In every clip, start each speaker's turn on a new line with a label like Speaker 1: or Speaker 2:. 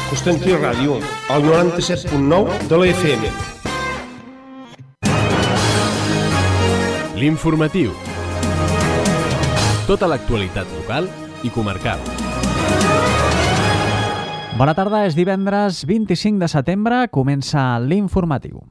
Speaker 1: Constantí Ràdio, al 97.9 de la FM.
Speaker 2: L'informatiu. Tota l'actualitat local i comarcal.
Speaker 3: Bona tarda, és divendres 25 de setembre, comença l'informatiu.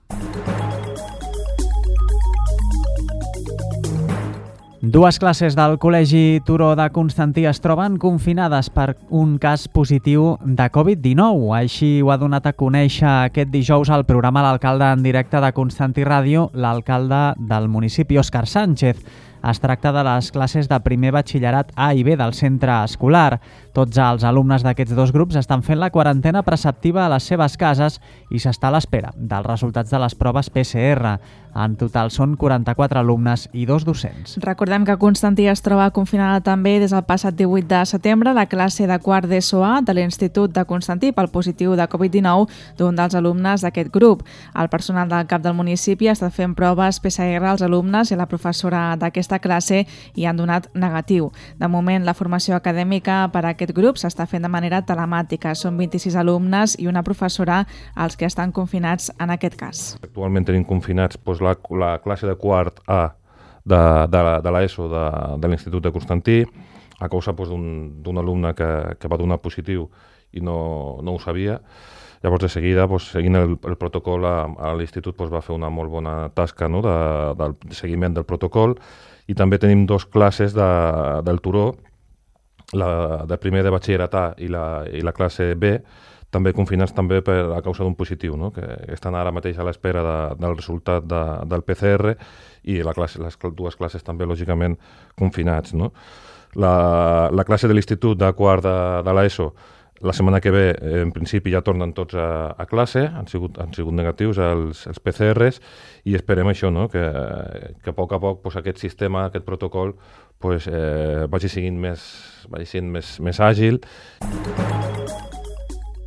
Speaker 3: Dues classes del Col·legi Turó de Constantí es troben confinades per un cas positiu de Covid-19. Així ho ha donat a conèixer aquest dijous al programa L'Alcalde en directe de Constantí Ràdio, l'alcalde del municipi, Òscar Sánchez. Es tracta de les classes de primer batxillerat A i B del centre escolar. Tots els alumnes d'aquests dos grups estan fent la quarantena preceptiva a les seves cases i s'està a l'espera dels resultats de les proves PCR. En total són 44 alumnes i 2 docents.
Speaker 4: Recordem que Constantí es troba confinada també des del passat 18 de setembre la classe de quart d'ESO A de l'Institut de Constantí pel positiu de Covid-19 d'un dels alumnes d'aquest grup. El personal del CAP del municipi està fent proves PCR als alumnes i a la professora d'aquesta classe i han donat negatiu. De moment, la formació acadèmica per a aquest grup s'està fent de manera telemàtica. Són 26 alumnes i una professora els que estan confinats en aquest cas.
Speaker 5: Actualment tenim confinats la classe de quart A de l'ESO de l'Institut de Constantí a causa d'un alumne que va donar positiu i no ho sabia. Llavors, de seguida, seguint el protocol, a l'Institut va fer una molt bona tasca del seguiment del protocol, i també tenim dues classes del Turó, la de primer de batxillerat A i la classe B, també confinats també a causa d'un positiu, que estan ara mateix a l'espera del resultat del PCR, i les dues classes també, lògicament, confinats. La classe de l'Institut de quart de l'ESO, la setmana que ve, en principi, ja tornen tots a classe, han sigut negatius els PCRs, i esperem això, que a poc aquest sistema, aquest protocol, vagi sent més àgil.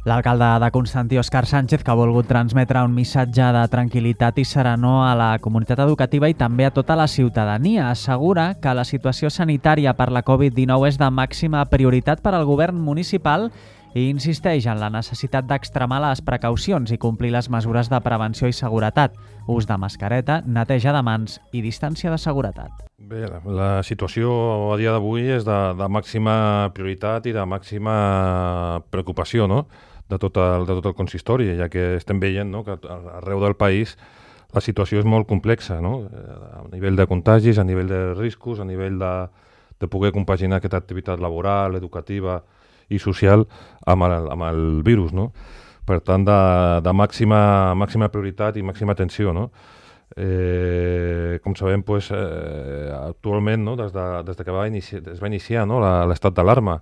Speaker 3: L'alcalde de Constantí, Òscar Sánchez, que ha volgut transmetre un missatge de tranquil·litat i serenor a la comunitat educativa i també a tota la ciutadania. Assegura que la situació sanitària per la Covid-19 és de màxima prioritat per al govern municipal i insisteix en la necessitat d'extremar les precaucions i complir les mesures de prevenció i seguretat, ús de mascareta, neteja de mans i distància de seguretat.
Speaker 5: Bé, la situació a dia d'avui és de màxima prioritat i de màxima preocupació, de tot el consistori, ja que estem veient que arreu del país la situació és molt complexa, a nivell de contagis, a nivell de riscos, a nivell de poder compaginar aquesta activitat laboral, educativa i social amb el virus. Per tant, de màxima prioritat i màxima atenció. Com sabem, actualment, des que es va iniciar l'estat d'alarma,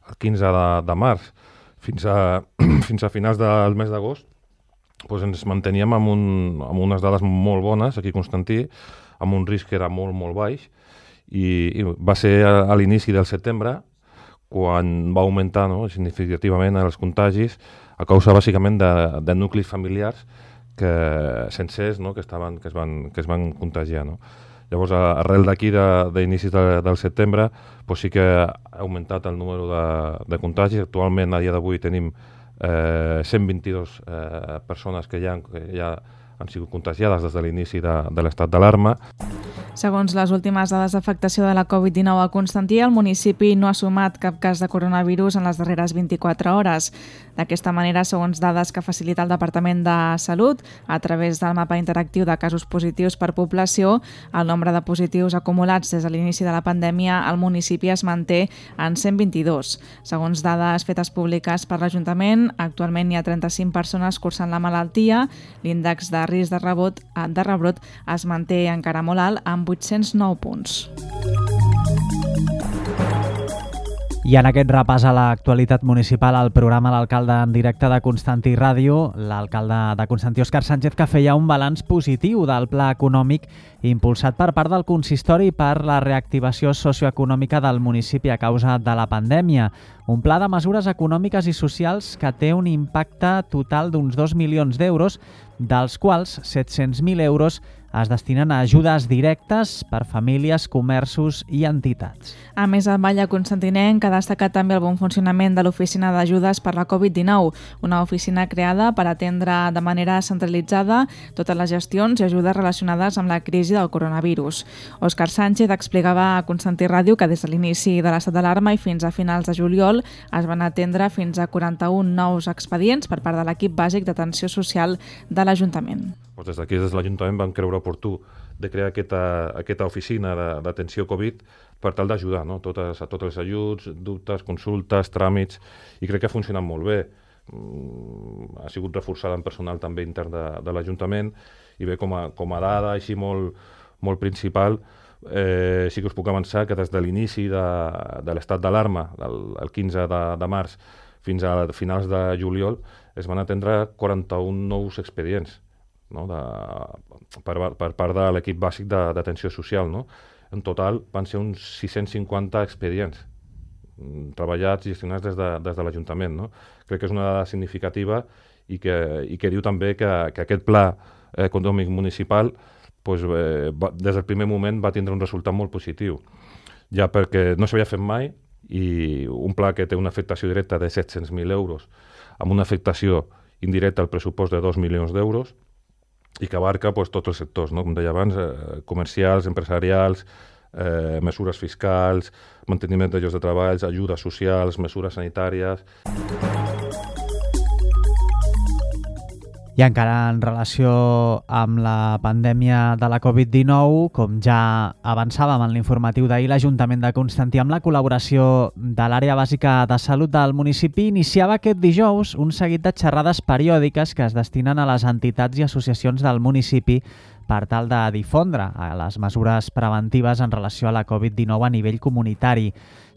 Speaker 5: el 15 de març, fins a finals del mes d'agost, ens manteníem amb unes dades molt bones aquí a Constantí, amb un risc que era molt, molt baix, i va ser a l'inici del setembre quan va augmentar significativament els contagis a causa bàsicament de nuclis familiars sencers que es van contagiar. Llavors, arrel d'aquí, d'inicis del setembre, sí que ha augmentat el número de contagis. Actualment, a dia d'avui, tenim 122 persones que ja han sigut contagiades des de l'inici de l'estat d'alarma.
Speaker 4: Segons les últimes dades d'afectació de la Covid-19 a Constantí, el municipi no ha sumat cap cas de coronavirus en les darreres 24 hores. D'aquesta manera, segons dades que facilita el Departament de Salut, a través del mapa interactiu de casos positius per població, el nombre de positius acumulats des de l'inici de la pandèmia al municipi es manté en 122. Segons dades fetes públiques per l'Ajuntament, actualment hi ha 35 persones cursant la malaltia, l'índex de risc de rebrot es manté encara molt alt, amb 809 punts.
Speaker 3: I en aquest repàs a l'actualitat municipal, al programa L'Alcalde en directe de Constantí Ràdio, l'alcalde de Constantí, Òscar Sánchez, que feia un balanç positiu del pla econòmic impulsat per part del consistori per la reactivació socioeconòmica del municipi a causa de la pandèmia. Un pla de mesures econòmiques i socials que té un impacte total d'uns 2 milions d'euros, dels quals 700.000 euros es destinen a ajudes directes per famílies, comerços i entitats.
Speaker 4: A més, el Vall Constantinenc ha destacat també el bon funcionament de l'Oficina d'Ajudes per la Covid-19, una oficina creada per atendre de manera centralitzada totes les gestions i ajudes relacionades amb la crisi del coronavirus. Òscar Sánchez explicava a Constantí Ràdio que des de l'inici de l'estat d'alarma i fins a finals de juliol es van atendre fins a 41 nous expedients per part de l'equip bàsic d'atenció social de l'Ajuntament.
Speaker 5: Des d'aquí, des de l'Ajuntament, vam creure oportú de crear aquesta oficina d'atenció Covid per tal d'ajudar a tots els ajuts, dubtes, consultes, tràmits, i crec que ha funcionat molt bé. Ha sigut reforçada en personal també intern de l'Ajuntament, i bé, com a dada així molt principal, sí que us puc avançar que des de l'inici de l'estat d'alarma, el 15 de març, fins a finals de juliol, es van atendre 41 nous expedients, no? per part de l'equip bàsic d'atenció social. No? En total van ser uns 650 expedients treballats i gestionats des de l'Ajuntament. No? Crec que és una dada significativa i que diu també que aquest pla econòmic municipal des del primer moment va tindre un resultat molt positiu, ja perquè no s'havia fet mai, i un pla que té una afectació directa de 700.000 euros amb una afectació indirecta al pressupost de 2 milions d'euros, i que abarca tots els sectors, no? Com deia abans, comercials, empresarials, mesures fiscals, manteniment de llocs de treball, ajudes socials, mesures sanitàries.
Speaker 3: I encara en relació amb la pandèmia de la Covid-19, com ja avançàvem en l'informatiu d'ahir, l'Ajuntament de Constantí, amb la col·laboració de l'Àrea Bàsica de Salut del municipi, iniciava aquest dijous un seguit de xerrades periòdiques que es destinen a les entitats i associacions del municipi per tal de difondre les mesures preventives en relació a la Covid-19 a nivell comunitari,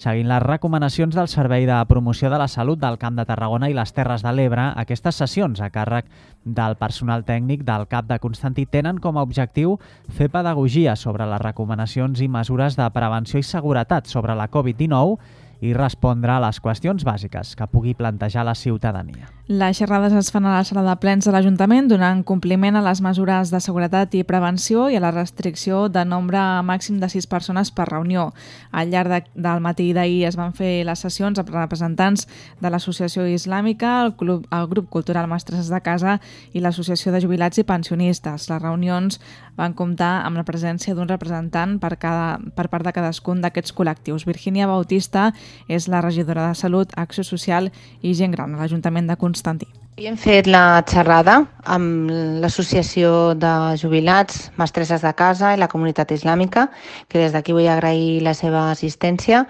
Speaker 3: seguint les recomanacions del Servei de Promoció de la Salut del Camp de Tarragona i les Terres de l'Ebre. Aquestes sessions a càrrec del personal tècnic del CAP de Constantí tenen com a objectiu fer pedagogia sobre les recomanacions i mesures de prevenció i seguretat sobre la Covid-19 i respondre a les qüestions bàsiques que pugui plantejar la ciutadania.
Speaker 4: Les xerrades es fan a la sala de plens de l'Ajuntament, donant compliment a les mesures de seguretat i prevenció i a la restricció de nombre màxim de 6 persones per reunió. Al llarg del matí d'ahir es van fer les sessions amb representants de l'Associació Islàmica, el Grup Cultural Mestresses de Casa i l'Associació de Jubilats i Pensionistes. Les reunions van comptar amb la presència d'un representant per part de cadascun d'aquests col·lectius. Virgínia Bautista és la regidora de Salut, Acció Social i Gent Gran a l'Ajuntament de Constantí.
Speaker 6: Hem fet la xerrada amb l'Associació de Jubilats, Mestresses de Casa i la Comunitat Islàmica, que des d'aquí vull agrair la seva assistència,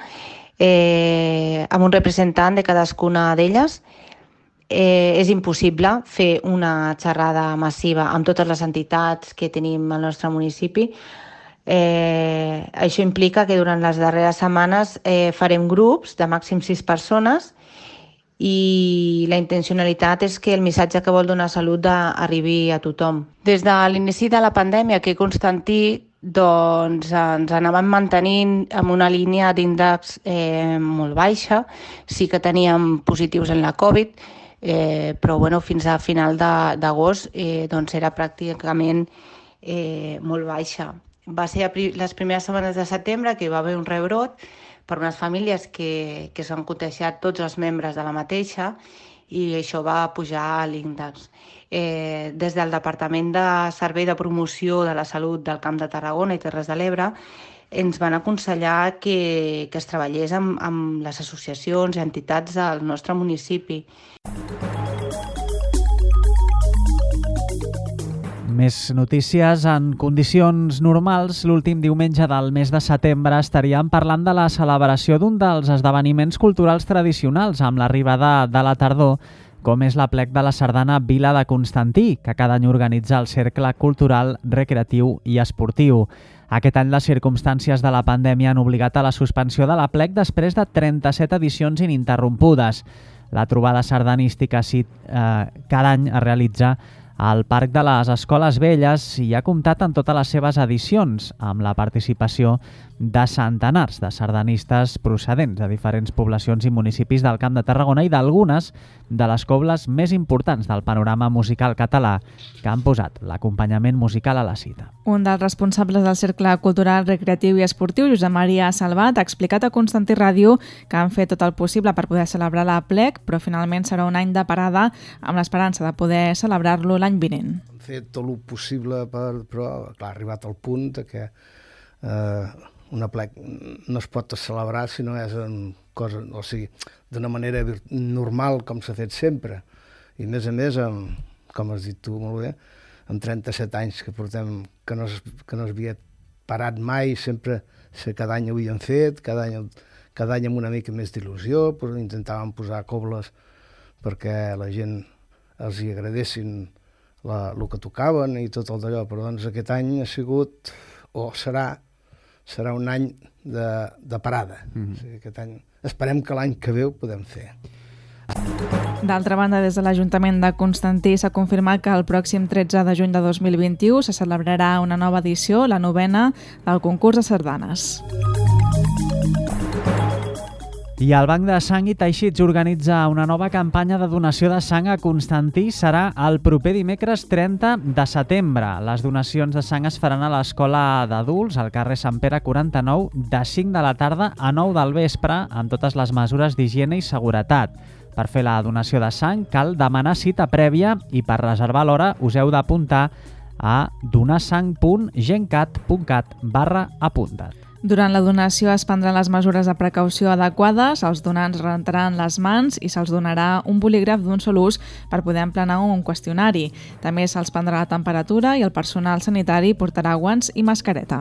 Speaker 6: amb un representant de cadascuna d'elles. És impossible fer una xerrada massiva amb totes les entitats que tenim al nostre municipi. Això implica que durant les darreres setmanes farem grups de màxim 6 persones i la intencionalitat és que el missatge que vol donar Salut arribi a tothom. Des de l'inici de la pandèmia aquí a Constantí ens anàvem mantenint amb una línia d'índex molt baixa. Sí que teníem positius en la Covid, però fins a final d'agost era pràcticament molt baixa. Va ser les primeres setmanes de setembre que hi va haver un rebrot per unes famílies que s'han contagiat tots els membres de la mateixa i això va pujar l'índex. Des del Departament de Servei de Promoció de la Salut del Camp de Tarragona i Terres de l'Ebre ens van aconsellar que es treballés amb les associacions i entitats del nostre municipi.
Speaker 3: Més notícies. En condicions normals, l'últim diumenge del mes de setembre estaríem parlant de la celebració d'un dels esdeveniments culturals tradicionals amb l'arribada de la tardor, com és l'Aplec de la Sardana Vila de Constantí, que cada any organitza el Cercle Cultural, Recreatiu i Esportiu. Aquest any les circumstàncies de la pandèmia han obligat a la suspensió de l'Aplec després de 37 edicions ininterrompudes. La trobada sardanística cada any es realitza al Parc de les Escoles Velles i ha comptat en totes les seves edicions amb la participació de centenars de sardanistes procedents de diferents poblacions i municipis del Camp de Tarragona i d'algunes de les cobles més importants del panorama musical català que han posat l'acompanyament musical a la cita.
Speaker 4: Un dels responsables del Cercle Cultural, Recreatiu i Esportiu, Josep Maria Salvat, ha explicat a Constantí Ràdio que han fet tot el possible per poder celebrar la plec, però finalment serà un any de parada amb l'esperança de poder celebrar-lo l'any vinent.
Speaker 7: Hem fet tot el possible, però clar, ha arribat al punt que una plec no es pot celebrar si no és cosa, o sigui, d'una manera normal com s'ha fet sempre. I a més, com has dit tu molt bé, amb 37 anys que portem, que no es havia parat mai, sempre cada any ho havíem fet, cada any amb una mica més d'il·lusió, però intentàvem posar cobles perquè la gent els hi agradessin el que tocaven i tot el d'allò, però doncs aquest any ha sigut, o serà un any de parada. O sigui, aquest any, esperem que l'any que ve ho podem fer.
Speaker 4: D'altra banda, des de l'Ajuntament de Constantí s'ha confirmat que el pròxim 13 de juny de 2021 se celebrarà una nova edició, la 9ª, del concurs de sardanes.
Speaker 3: I el Banc de Sang i Teixits organitza una nova campanya de donació de sang a Constantí. Serà el proper dimecres 30 de setembre. Les donacions de sang es faran a l'Escola d'Adults, al carrer Sant Pere 49, de 5 de la tarda a 9 del vespre, amb totes les mesures d'higiene i seguretat. Per fer la donació de sang cal demanar cita prèvia i per reservar l'hora us heu d'apuntar a donarsang.gencat.cat/apuntat.
Speaker 4: Durant la donació es prendran les mesures de precaució adequades, els donants rentaran les mans i se'ls donarà un bolígraf d'un sol ús per poder emplenar un qüestionari. També se'ls prendrà la temperatura i el personal sanitari portarà guants i mascareta.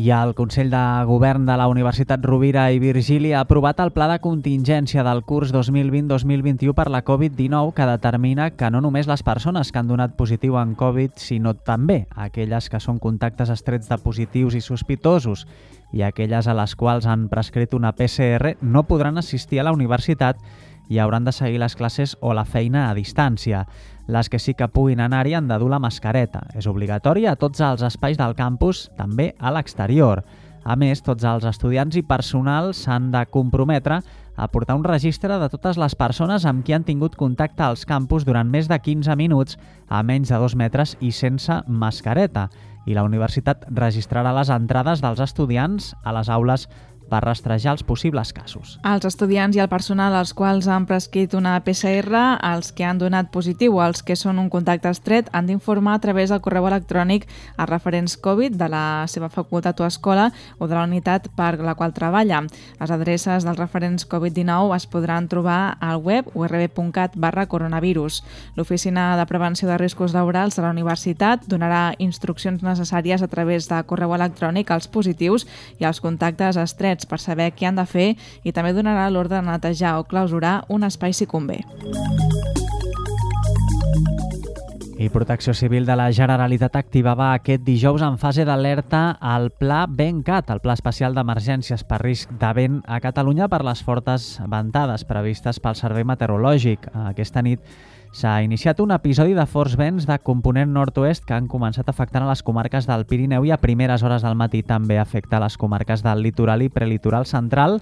Speaker 3: I el Consell de Govern de la Universitat Rovira i Virgili ha aprovat el pla de contingència del curs 2020-2021 per la Covid-19 que determina que no només les persones que han donat positiu en Covid, sinó també aquelles que són contactes estrets de positius i sospitosos i aquelles a les quals han prescrit una PCR no podran assistir a la universitat i hauran de seguir les classes o la feina a distància. Les que sí que puguin anar-hi han de dur la mascareta. És obligatori a tots els espais del campus, també a l'exterior. A més, tots els estudiants i personal s'han de comprometre a portar un registre de totes les persones amb qui han tingut contacte als campus durant més de 15 minuts a menys de 2 metres i sense mascareta. I la universitat registrarà les entrades dels estudiants a les aules per rastrejar els possibles casos.
Speaker 4: Els estudiants i el personal als quals han prescrit una PCR, els que han donat positiu o els que són un contacte estret han d'informar a través del correu electrònic als referents Covid de la seva facultat o escola o de la unitat per la qual treballa. Les adreces dels referents Covid-19 es podran trobar al web urb.cat/coronavirus. L'Oficina de Prevenció de Riscos Laborals de la Universitat donarà instruccions necessàries a través de correu electrònic als positius i als contactes estrets per saber què han de fer i també donarà l'ordre de netejar o clausurar un espai si convé.
Speaker 3: I Protecció Civil de la Generalitat activava aquest dijous en fase d'alerta el Pla VENCAT, el Pla Especial d'Emergències per Risc de Vent a Catalunya per les fortes ventades previstes pel Servei Meteorològic. Aquesta nit s'ha iniciat un episodi de forts vents de component nord-oest que han començat afectant a les comarques del Pirineu i a primeres hores del matí també afecta a les comarques del litoral i prelitoral central,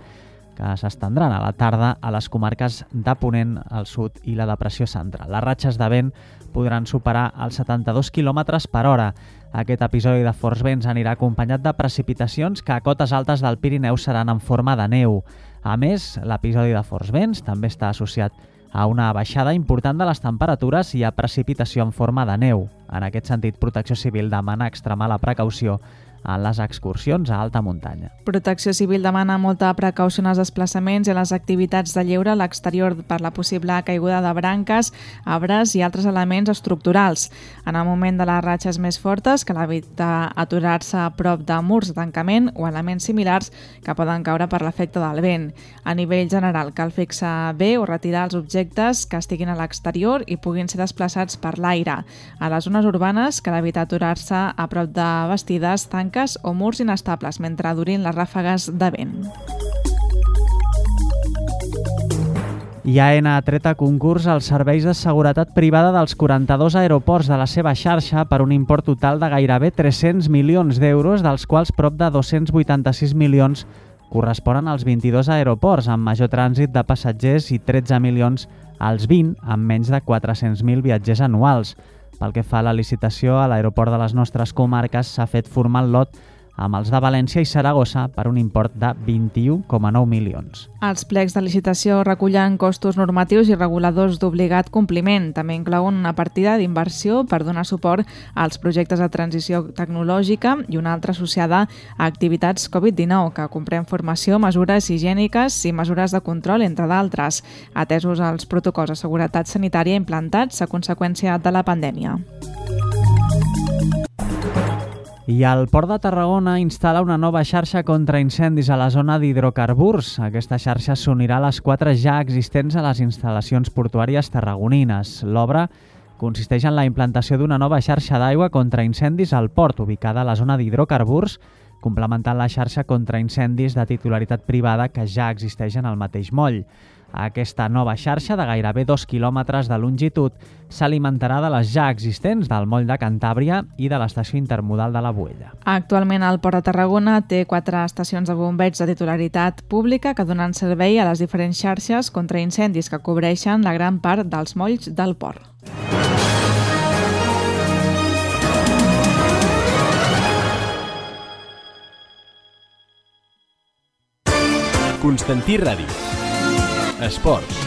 Speaker 3: que s'estendran a la tarda a les comarques de Ponent, al sud i la depressió central. Les ratxes de vent podran superar els 72 km per hora. Aquest episodi de forts vents anirà acompanyat de precipitacions que a cotes altes del Pirineu seran en forma de neu. A més, l'episodi de forts vents també està associat a una baixada important de les temperatures i a precipitació en forma de neu. En aquest sentit, Protecció Civil demana extremar la precaució en les excursions a alta muntanya.
Speaker 4: Protecció Civil demana molta precaució en els desplaçaments i en les activitats de lleure a l'exterior per la possible caiguda de branques, arbres i altres elements estructurals. En el moment de les ratxes més fortes, cal evitar aturar-se a prop de murs de tancament o elements similars que poden caure per l'efecte del vent. A nivell general, cal fixar bé o retirar els objectes que estiguin a l'exterior i puguin ser desplaçats per l'aire. A les zones urbanes, cal evitar aturar-se a prop de bastides, tanques o murs inestables mentre durin les ràfegues de vent.
Speaker 3: I AENA ha tret a concurs els serveis de seguretat privada dels 42 aeroports de la seva xarxa per un import total de gairebé 300 milions d'euros, dels quals prop de 286 milions corresponen als 22 aeroports amb major trànsit de passatgers i 13 milions als 20 amb menys de 400.000 viatgers anuals. Pel que fa a la licitació, a l'aeroport de les nostres comarques s'ha fet formar el lot amb els de València i Saragossa per un import de 21,9 milions.
Speaker 4: Els plecs de licitació recullen costos normatius i reguladors d'obligat compliment. També inclouen una partida d'inversió per donar suport als projectes de transició tecnològica i una altra associada a activitats Covid-19, que comprèn formació, mesures higièniques i mesures de control, entre d'altres, atesos els protocols de seguretat sanitària implantats a conseqüència de la pandèmia.
Speaker 3: I el Port de Tarragona instal·la una nova xarxa contra incendis a la zona d'hidrocarburs. Aquesta xarxa s'unirà a les 4 ja existents a les instal·lacions portuàries tarragonines. L'obra consisteix en la implantació d'una nova xarxa d'aigua contra incendis al port, ubicada a la zona d'hidrocarburs, complementant la xarxa contra incendis de titularitat privada que ja existeix en el mateix moll. Aquesta nova xarxa, de gairebé 2 quilòmetres de longitud, s'alimentarà de les ja existents del moll de Cantàbria i de l'estació intermodal de la Boella.
Speaker 4: Actualment el Port de Tarragona té 4 estacions de bombeig de titularitat pública que donen servei a les diferents xarxes contra incendis que cobreixen la gran part dels molls del port.
Speaker 2: Constantí Ràdio. Esports.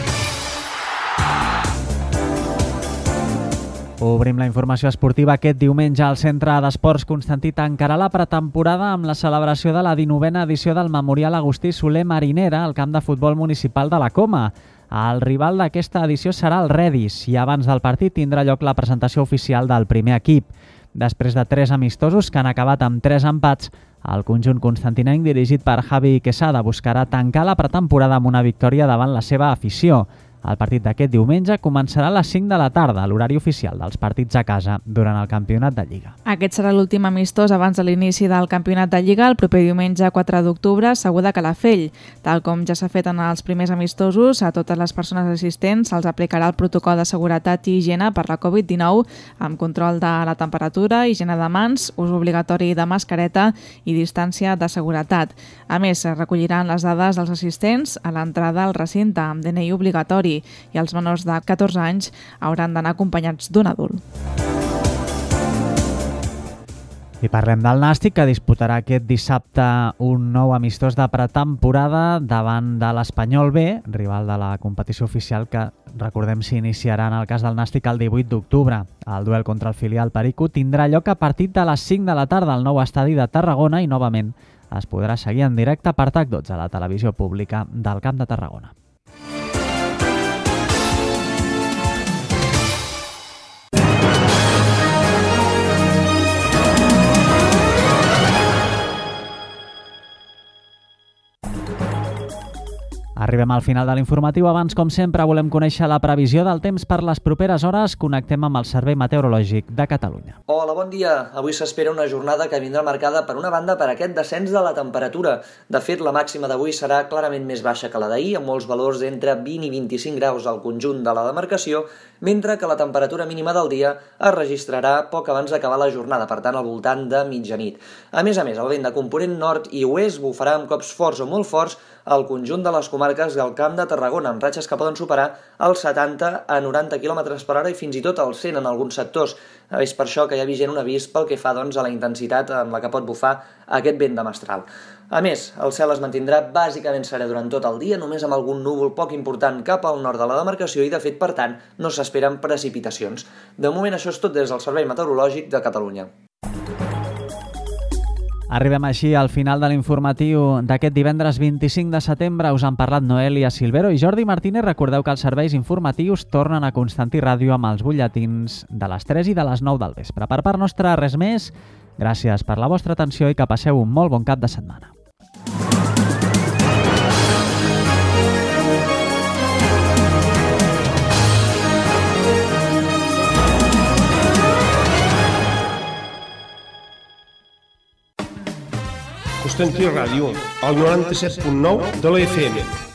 Speaker 3: Obrim la informació esportiva. Aquest diumenge al Centre d'Esports Constantí tancarà la pretemporada amb la celebració de la 19a edició del Memorial Agustí Soler Marinera al camp de futbol municipal de la Coma. El rival d'aquesta edició serà el Redis i abans del partit tindrà lloc la presentació oficial del primer equip. Després de 3 amistosos que han acabat amb 3 empats, el conjunt constantinenc dirigit per Javi Quesada buscarà tancar la pretemporada amb una victòria davant la seva afició. El partit d'aquest diumenge començarà a les 5 de la tarda, l'horari oficial dels partits a casa durant el campionat de Lliga.
Speaker 4: Aquest serà l'últim amistós abans de l'inici del campionat de Lliga el proper diumenge 4 d'octubre, Segur de Calafell. Tal com ja s'ha fet en els primers amistosos, a totes les persones assistents se'ls aplicarà el protocol de seguretat i higiene per la Covid-19 amb control de la temperatura, higiene de mans, ús obligatori de mascareta i distància de seguretat. A més, es recolliran les dades dels assistents a l'entrada al recinte amb DNI obligatori i els menors de 14 anys hauran d'anar acompanyats d'un adult.
Speaker 3: I parlem del Nàstic, que disputarà aquest dissabte un nou amistós de pretemporada davant de l'Espanyol B, rival de la competició oficial que, recordem, s'iniciarà en el cas del Nàstic el 18 d'octubre. El duel contra el filial Perico tindrà lloc a partir de les 5 de la tarda al nou estadi de Tarragona i novament es podrà seguir en directe per TAC12 a la televisió pública del Camp de Tarragona. Arribem al final de l'informatiu. Abans, com sempre, volem conèixer la previsió del temps per les properes hores. Connectem amb el Servei Meteorològic de Catalunya.
Speaker 8: Hola, bon dia. Avui s'espera una jornada que vindrà marcada per una banda per aquest descens de la temperatura. De fet, la màxima d'avui serà clarament més baixa que la d'ahir, amb molts valors d'entre 20 i 25 graus al conjunt de la demarcació, mentre que la temperatura mínima del dia es registrarà poc abans d'acabar la jornada, per tant, al voltant de mitjanit. A més, el vent de component nord i oest bufarà amb cops forts o molt forts al conjunt de les comarques del Camp de Tarragona, amb ratxes que poden superar els 70 a 90 km per hora i fins i tot els 100 en alguns sectors. És per això que hi ha vigent un avís pel que fa a la intensitat amb la que pot bufar aquest vent de mestral. A més, el cel es mantindrà bàsicament serè durant tot el dia, només amb algun núvol poc important cap al nord de la demarcació i, de fet, per tant, no s'esperen precipitacions. De moment, això és tot des del Servei Meteorològic de Catalunya.
Speaker 3: Arribem així al final de l'informatiu d'aquest divendres 25 de setembre. Us han parlat Noelia Silvero i Jordi Martínez. Recordeu que els serveis informatius tornen a Constantí Ràdio amb els butlletins de les 3 i de les 9 del vespre. Per part nostra, res més. Gràcies per la vostra atenció i que passeu un molt bon cap de setmana.
Speaker 1: Constantí Ràdio, el 97.9 de la FM.